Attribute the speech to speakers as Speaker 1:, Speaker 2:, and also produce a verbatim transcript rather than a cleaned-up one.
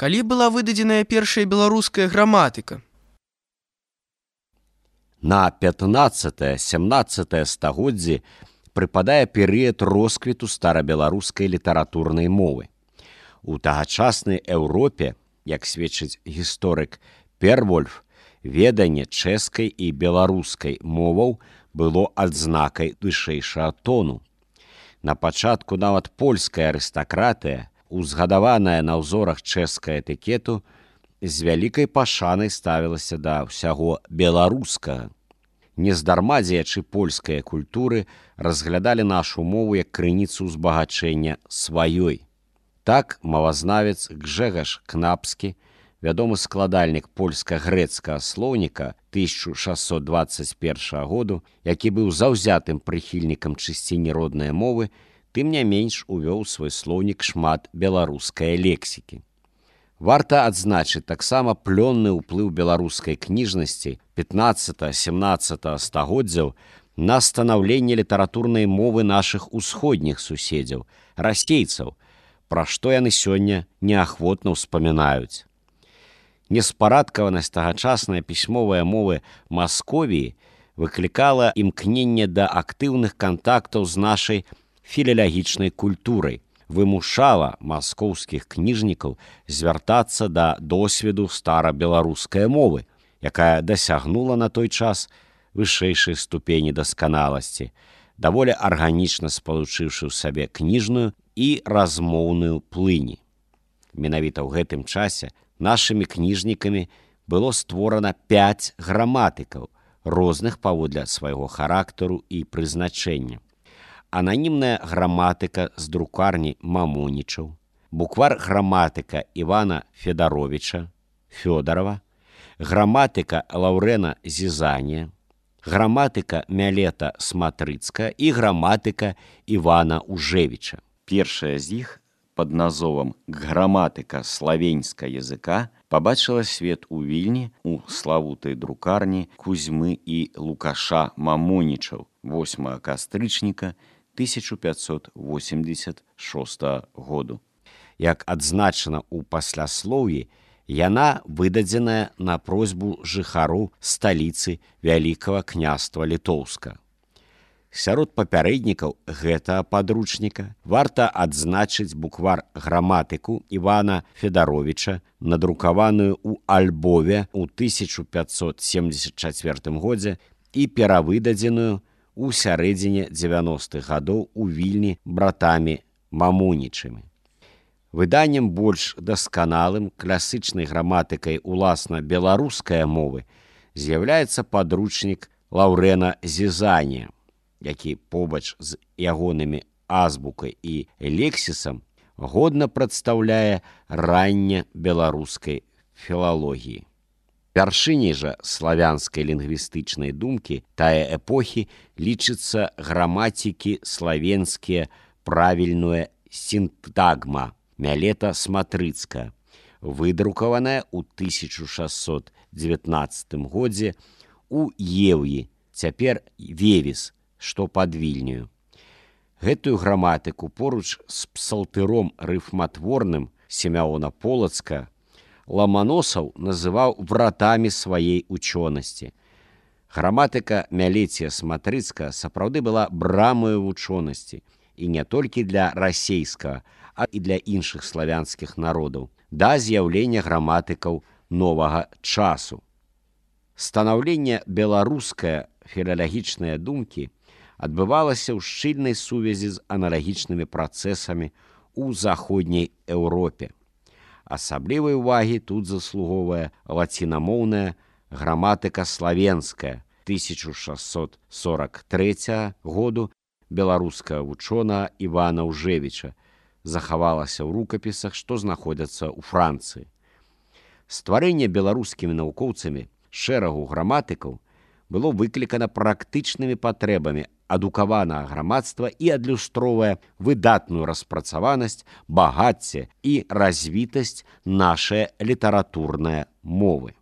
Speaker 1: Калі была выдадзеная першая беларуская граматыка?
Speaker 2: На пятнаццатае-сямнаццатае стагоддзі прыпадае перыяд росквіту старабеларускай літаратурнай мовы. У тагачаснай Еўропе, як сведчыць гісторык Первольф, веданне чэшскай і беларускай моваў было адзнакай вышэйшага тону. На пачатку нават польская арыстакратыя, узгадаваная на ўзорах чэшскага этыкету, з вялікай пашанай ставілася да ўсяго беларускага. Нездарма дзеячы польскай культуры разглядалі нашу мову як крыніцу ўзбагачэння сваёй. Так мовазнавец Гжэгаш Кнапскі, вядомы складальнік польска-грэцкага слоўніка тысяча шэсцьсот дваццаць першага году, які быў заўзятым прыхільнікам чысціні роднай мовы, тым не менш увёў у свой слоўнік шмат беларускай лексікі. Варта адзначыць таксама плённы ўплыў беларускай кніжнасці пятнаццатага-сямнаццатага стагоддзяў на станаўленне літаратурнай мовы нашых усходніх суседзяў, расейцаў, пра што яны сёння неахвотна ўспамінаюць. Неспарадкаванасць тагачаснай пісьмовай мовы Масковіі выклікала імкненне да актыўных кантактаў з нашай філалагічнай культурай, вымушала маскоўскіх кніжнікаў звяртацца да досведу старабеларускай мовы, якая дасягнула на той час вышэйшай ступені дасканаласці, даволі арганічна спалучыўшы ў сабе кніжную і размоўную плыні. Менавіта ў гэтым часе нашымі кніжнікамі было створана пяць граматыкаў, розных паводле свайго характару і прызначэння. Ананімная граматыка з друкарні Мамонічаў, буквар-граматыка Івана Федаровіча, Фёдарова, граматыка Лаўрэна Зізанія, граматыка Мялета Сматрыцкая і граматыка Івана Ужевіча. Першая з іх пад назовам «Граматыка славенска языка» пабачыла свет у Вільні у славутай друкарні Кузьмы і Лукаша Мамонічаў восьмага кастрычніка тысяча пятьсот восемьдесят шостага году. Як адзначана ў пасляслоўі, яна выдадзеная на просьбу жыхароў сталіцы Вялікага княства Літоўска. Сярод папярэднікаў гэтага падручніка варта адзначыць буквар-граматыку Івана Федаровіча, надрукаваную ў Альбове ў тысяча пятьсот семьдесят чацвёртым годзе і перавыдадзеную ў сярэдзіне дзевяностых гадоў у Вільні братамі Мамонічамі. Выданнем больш дасканалым класычнай граматыкай уласна беларускай мовы з'яўляецца падручнік Лаўрэна Зізанія, які побач з ягонымі азбукай і лексісам годна прадстаўляе ранне беларускай філалогіі. Вяршыняй жа славянскай лінгвістычнай думкі тае эпохі лічыцца граматікі славенскія правільная сінтагма Мялета Сматрыцкая, выдрукаваная ў тысяча шэсцьсот дзевятнаццатым годзе ў Еўі, цяпер Вевіс, што пад Вільню. Гэтую граматыку поруч з псалтыром рыфматворным Сімеона Полацка Ламаносаў называў вратамі сваей учонасці. Граматыка Мялеція Сматрыцкая сапраўды была брамою вучонасці, і не толькі для расейскага, а і для іншых славянскіх народаў, да з'яўлення граматыкаў новага часу. Станаўленне беларускае філалагічнае думкі адбывалася ў шчыльнай сувязі з аналагічнымі працэсамі ў заходняй Еўропе. Асаблівай увагі тут заслугоўвае лацінамоўная граматыка славенская тысяча шэсцьсот сорок трэцяга году беларускага вучонага Івана Ужевіча, захавалася ў рукапісах, што знаходзяцца ў Францыі. Стварэнне беларускімі навукоўцамі шэрагу граматыкаў было выклікана практычнымі патрэбамі адукаванага грамадства і адлюстроўвае выдатную распрацаванасць, багацце і развітасць нашай літаратурнай мовы.